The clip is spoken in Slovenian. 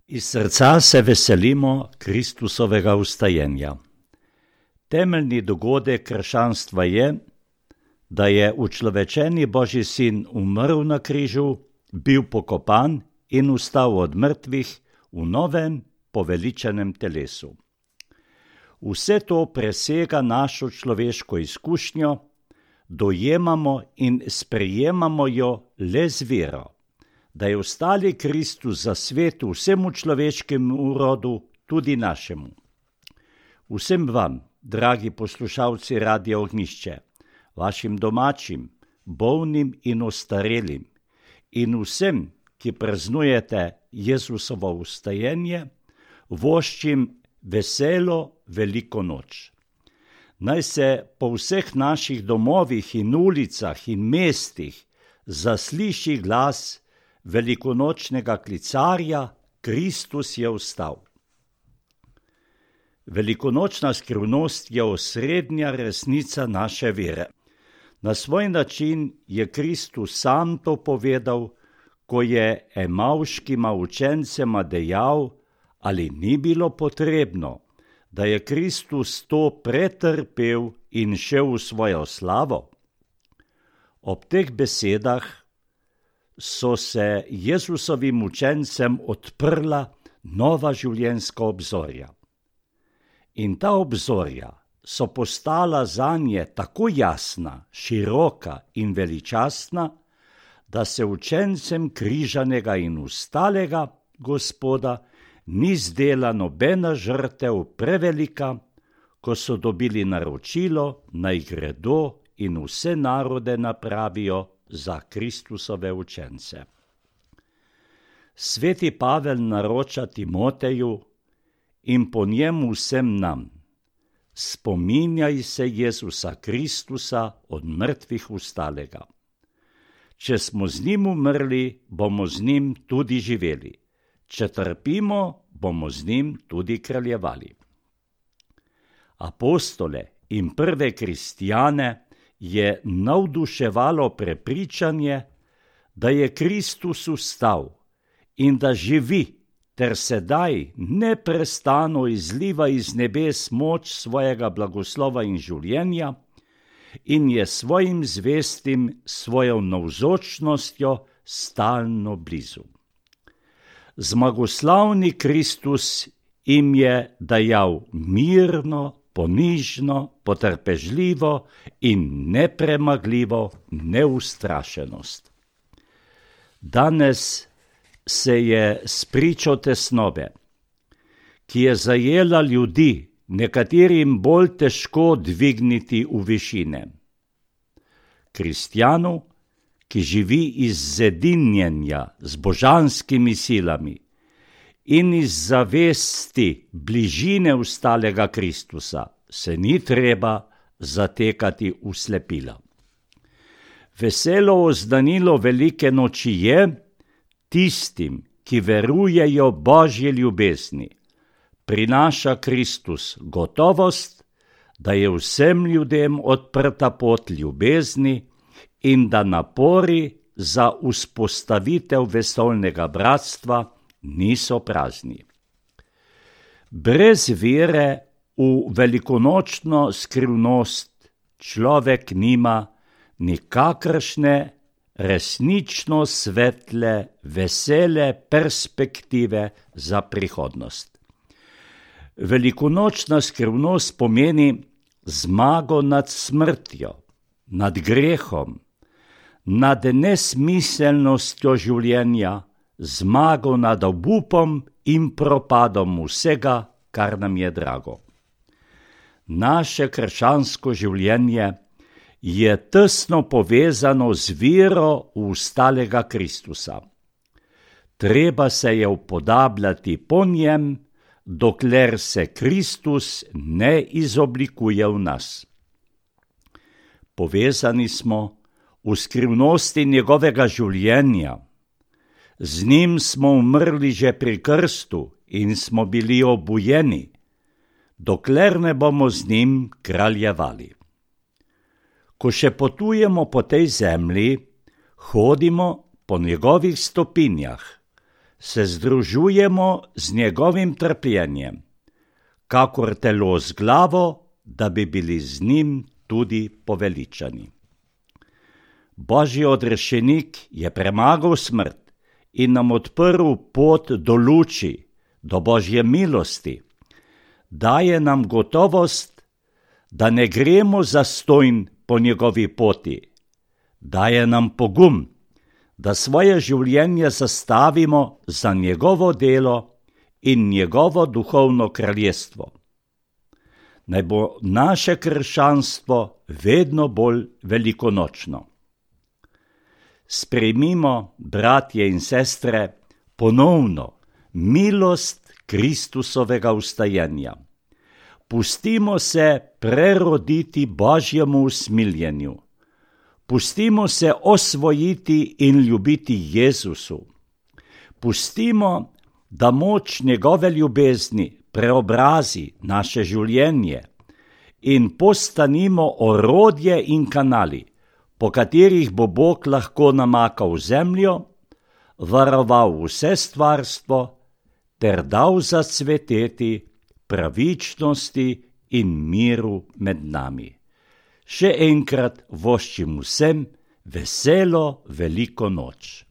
Iz srca se veselimo Kristusovega vstajenja. Temeljni dogodek krščanstva je, da je učlovečeni Božji sin umrl na križu, bil pokopan in vstal od mrtvih v novem poveličenem telesu. Vse to presega našo človeško izkušnjo, dojemamo in sprejemamo jo le z vero, da je vstali Kristus za svet vsemu človeškemu rodu, tudi našemu. Vsem vam, dragi poslušalci Radia Ognjišče, vašim domačim, bolnim in ostarelim in vsem, ki praznujete Jezusovo vstajenje, voščim veselo veliko noč. Naj se po vseh naših domovih in ulicah in mestih zasliši glas velikonočnega klicarja: Kristus je vstal. Velikonočna skrivnost je osrednja resnica naše vere. Na svoj način je Kristus sam to povedal, ko je emavškima učencema dejal, ali ni bilo potrebno, da je Kristus to pretrpel in šel v svojo slavo. Ob teh besedah so se Jezusovim učencem odprla nova življenjska obzorja. In ta obzorja so postala zanje tako jasna, široka in veličastna, da se učencem križanega in vstalega Gospoda ni zdela nobena žrtev prevelika, ko so dobili naročilo, naj gredo in vse narode napravijo za Kristusove učence. Sveti Pavel naroča Timoteju in po njemu vsem nam: spominjaj se Jezusa Kristusa od mrtvih vstalega. Če smo z njim umrli, bomo z njim tudi živeli. Če trpimo, bomo z njim tudi kraljevali. Apostole in prve kristjane je navduševalo prepričanje, da je Kristus vstal in da živi ter sedaj neprestano izliva iz nebes moč svojega blagoslova in življenja in je svojim zvestim svojo navzočnostjo stalno blizu. Zmagoslavni Kristus jim je dajal mirno, ponižno, potrpežljivo in nepremagljivo neustrašenost. Danes se je spričo tesnobe, ki je zajela ljudi, nekaterim bolj težko dvigniti v višine. Kristjanu, ki živi iz zedinjenja z božanskimi silami in iz zavesti bližine vstalega Kristusa, se ni treba zatekati v slepila. Veselo oznanilo velike noči je tistim, ki verujejo Božji ljubezni, prinaša Kristus gotovost, da je vsem ljudem odprta pot ljubezni in da napori za vzpostavitev vesoljnega bratstva niso prazni. Brez vere v velikonočno skrivnost človek nima nikakršne resnično svetle, vesele perspektive za prihodnost. Velikonočna skrivnost pomeni zmago nad smrtjo, nad grehom, nad nesmiselnostjo življenja, zmago nad obupom in propadom vsega, kar nam je drago. Naše krščansko življenje je tesno povezano z vero v vstalega Kristusa. Treba se je upodabljati po njem, dokler se Kristus ne izoblikuje v nas. Povezani smo v skrivnosti njegovega življenja. Z njim smo umrli že pri krstu in smo bili obujeni, dokler ne bomo z njim kraljevali. Ko še potujemo po tej zemlji, hodimo po njegovih stopinjah, se združujemo z njegovim trpljenjem, kakor telo z glavo, da bi bili z njim tudi poveličani. Božji odrešenik je premagal smrt in nam odprl pot do luči, do Božje milosti. Daje nam gotovost, da ne gremo zastonj po njegovi poti. Daje nam pogum, da svoje življenje zastavimo za njegovo delo in njegovo duhovno kraljestvo. Naj bo naše krščanstvo vedno bolj velikonočno. Sprejmimo, bratje in sestre, ponovno milost Kristusovega vstajenja. Pustimo se preroditi Božjemu usmiljenju. Pustimo se osvojiti in ljubiti Jezusu. Pustimo, da moč njegove ljubezni preobrazi naše življenje in postanimo orodje in kanali, po katerih bo Bog lahko namakal zemljo, varoval vse stvarstvo ter dal zacveteti pravičnosti in miru med nami. Še enkrat voščim vsem veselo veliko noč.